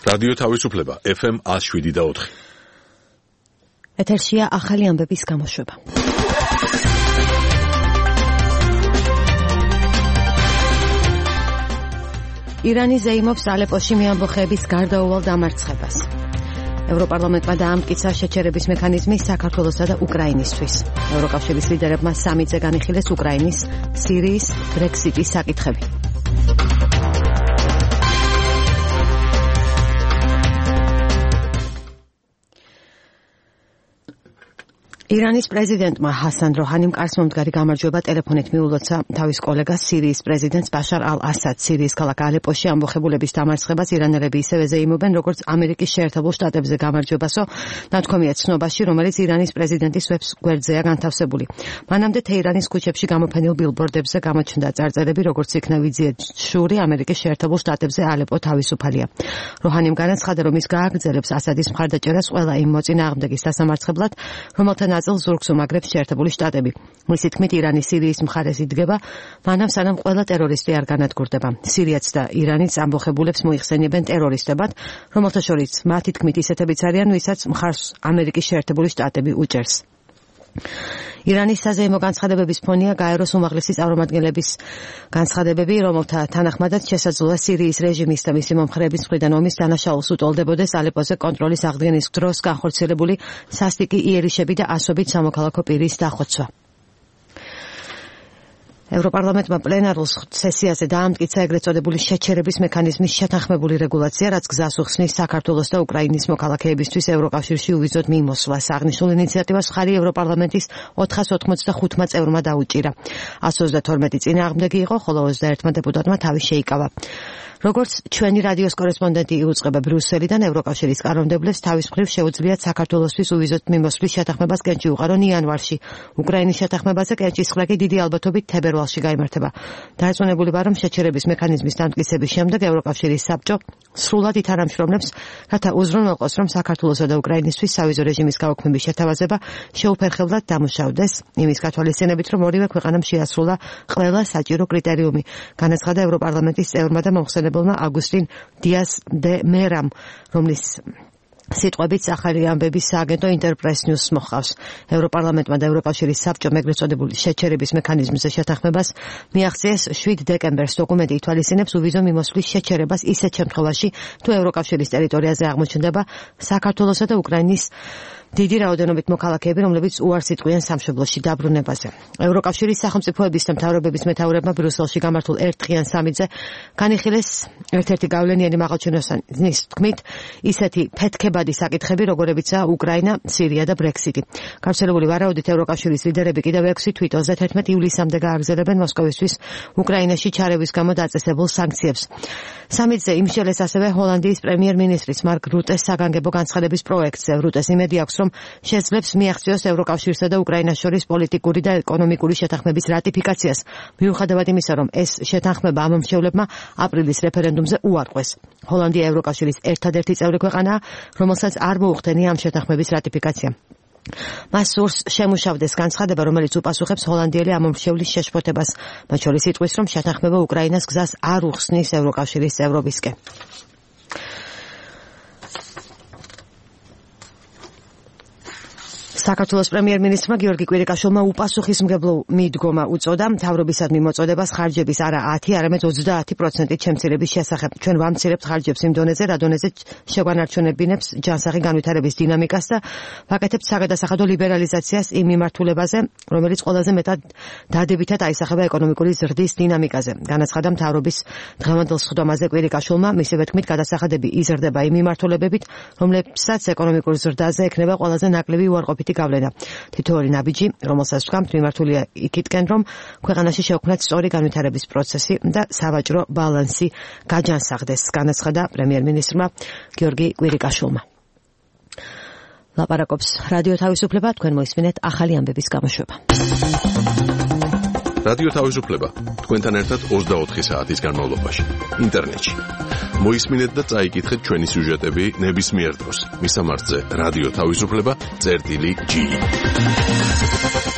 რადიო თავისუფლება FM 107.4. ეთერშია ახალი ამბების გამოშვება. ირანი ზეიმობს ალეპოში მეამბოხეების გარდაუვალ დამარცხებას. ევროპარლამენტმა დაამტკიცა შეჩერების მექანიზმი საქართველოსა და უკრაინისთვის. ევროკავშირის ლიდერებმა სამიტზე განიხილეს უკრაინის, სირიის, ბრექსიტის საკითხები. ირანის პრეზიდენტმა ჰასან როჰანიმ კარსმომდგარი გამარჯვება ტელეფონით მიულოცა თავის კოლეგას სირიის პრეზიდენტს ბაშარ ალ-ასადს. სირიის ქალაქ ალეპოში ამბოხებულების დამარცხებას ირანელები ისევე ზეიმობენ, როგორც ამერიკის შეერთებულ შტატებზე გამარჯვებასო, ნათქვამია ცნობაში, რომელიც ირანის პრეზიდენტის ვებს გვერდზეა განთავსებული. მანამდე თეირანის ქუჩებში გამოფენილ ბილბორდებზე გამოჩნდა წარწერები, როგორც იქნა ვიზიეთ შური ამერიკის შეერთებულ შტატებზე ალეპო თავისუფალია. როჰანიმ განაცხადა, რომ ის გააგრძელებს ასადის მხარდაჭერას ყველა იმ მოწინააღმდეგის დასამარცხებლად, რომელთა ნაწილს ზურგს უმაგრებს შეერთებული შტატები. მისი თქმით, ირანი სირიის მხარეს იდგება, მანამ სანამ ყველა ტერორისტი არ განადგურდება. სირიაც და ირანიც ამბოხებულებს მოიხსენიებენ ტერორისტებად, რომელთა შორის მათი თქმით ისეთებიც არიან, ვისაც მხარს ამერიკის შეერთებული შტატები უჭერს. ირანის საზეიმო განცხადებების ფონია გაეროს უმაღლესი წარმომადგენლების განცხადებები, რომელთა თანახმადაც შესაძლოა სირიის რეჟიმის და მისი მომხრეების მხრიდან ომის დანაშაულს უტოლდებოდეს ალეპოზე კონტროლის აღდგენის დროს განხორციელებული სასტიკი იერიშები და ასობით სამოქალაქო პირის დახოცვა. ევროპარლამენტმა პლენარულ სესიაზე დაამტკიცა ეგრეთ წოდებული შეჩერების მექანიზმის შეთანხმებული რეგულაცია, რაც გზას უხსნის საქართველოს და უკრაინის მოქალაქეებისთვის ევროკავშირში უვიზოდ მიმოსვლას. აღნიშნულ ინიციატივას მხარი ევროპარლამენტის 485-მა წევრმა დაუჭირა. 132 წინააღმდეგი იყო, ხოლო 21 დეპუტატმა თავი შეიკავა. როგორც ჩვენი რადიოს კორესპონდენტი იუწყება ბრიუსელიდან, ევროკავშირის კანონმდებლებს თავის მხრივ შეუძლიათ საქართველოსთვის უვიზოდ მიმოსვლის შეთანხმებას კენჭი უყარონ იანვარში. უკრაინის შეთანხმებაზე კენჭის ხმა კი დიდი ალბათობით თებერვალში გაიმართება. დაერწმუნებული ვარ, რომ შეჩერების მექანიზმის დამტკიცების შემდეგ ევროკავშირის საბჭო სრულად ითანამშრომლებს, რათა უზრუნველყოს, რომ საქართველოსა და უკრაინისთვის სავიზო რეჟიმის გაუქმების შეთავაზება შეუფერხებლად დამუშავდეს, იმის გათვალისწინებით, რომ ორივე ქვეყანამ შეასრულა ყველა საჭირო კრიტერიუმი. განაცხადა ევროპარლამენტის წევრმა და მომხსენებელმა აგუსტინ დიას დე მერამ, რომლის სიტყვებით ახალი ამბების სააგენტო ინტერპრეს ნიუს მოჰყავს. ევროპარლამენტმა და ევროკავშირის საბჭომ ეგრეთ წოდებული შეჩერების მექანიზმზე შეთანხმებას მიაღწიეს 7 დეკემბერს. დოკუმენტი ითვალისწინებს უვიზო მიმოსვლის შეჩერებას ისეთ შემთხვევაში, თუ ევროკავშირის ტერიტორიაზე აღმოჩნდება საქართველოსა და უკრაინის დიდი რაოდენობით მოქალაქეები, რომლებიც უარს იტყვიან სამშობლოში დაბრუნებაზე. ევროკავშირის სახელმწიფოების და მთავრობების მეთაურებმა ბრიუსელში გამართულ ერთდღიან სამიტზე განიხილეს ერთ-ერთი გავლენიანი მაღალჩინოსნის თქმით ისეთი ფეთქებადი საკითხები, როგორებიცაა უკრაინა, სირია და ბრექსიტი. გავრცელებული ვარაუდით ევროკავშირის ლიდერები კიდევ 6 თვით 31 ივლისამდე გააგრძელებენ მოსკოვისთვის უკრაინაში ჩარევის გამო დაწესებულ სანქციებს. სამიტზე იმშელეს ასევე ჰოლანდიის პრემიერ-მინისტრის მარკ რუტეს საგანგებო განცხადების პროექტზე. რუტეს იმედი აქვს, რომ შეძლებს მიაღწიოს ევროკავშირსა და უკრაინას შორის პოლიტიკური და ეკონომიკური შეთანხმების რატიფიკაციას, მიუხედავად იმისა, რომ ეს შეთანხმება ამ მომხრეებმა აპრილის რეფერენდუმზე უარყვეს. ჰოლანდია ევროკავშირის ერთადერთი წევრი ქვეყანაა, რომელსაც არ მოუხდენია ამ შეთანხმების რატიფიკაცია. მას სურს შემუშავდეს განცხადება, რომელიც უპასუხებს ჰოლანდიელი ამომრჩევლის შეშფოთებას, მათ შორის იტყვის, რომ შეთანხმება უკრაინას გზას არ უხსნის ევროკავშირის წევრობისკენ. საქართველოს პრემიერ-მინისტრმა გიორგი კვირიკაშვილმა უპასუხისმგებლო მიდგომა უწოდა მთავრობისადმი მოწოდებას ხარჯების არა 10, არამედ 30% შემცირების შესახებ. ჩვენ ვამცირებთ ხარჯებს იმ დონეზე, რა დონეზე შეგვანარჩუნებინებს ჯანსაღი განვითარების დინამიკას და ვაკეთებთ საგადასახადო ლიბერალიზაციას იმ მიმართულებაზე, რომელიც ყველაზე მეტად დადებითად აისახება ეკონომიკური ზრდის დინამიკაზე. განაცხადა მთავრობის დღევანდელ სხდომაზე კვირიკაშვილმა, მისივე თქმით, გადასახადები იზრდება იმ მიმართულებებით, რომლებსაც ეკონომიკურ ზრდაზე ექნება ყველაზე ნაკლები უარყოფითი გავლენა. თითოეული ნაბიჯი, რომელსაც ვთქვამთ, მიმართულია იქითკენ, რომ ქვეყანაში შეუქმნათ სწორი განვითარების პროცესი და სავაჭრო ბალანსი გაჯანსაღდეს, განაცხადა პრემიერ-მინისტრმა გიორგი კვირიკაშვილმა. ლაპარაკობს რადიო თავისუფლება, თქვენ მოისმინეთ ახალი ამბების გამოშვება. რადიო თავისუფლება, თქვენთან ერთად 24 საათის განმავლობაში, ინტერნეტში. მოისმინეთ და წაიკითხეთ ჩვენი სიუჟეტები ნებისმიერ დროს. მისამართზე რადიო თავისუფლება.ge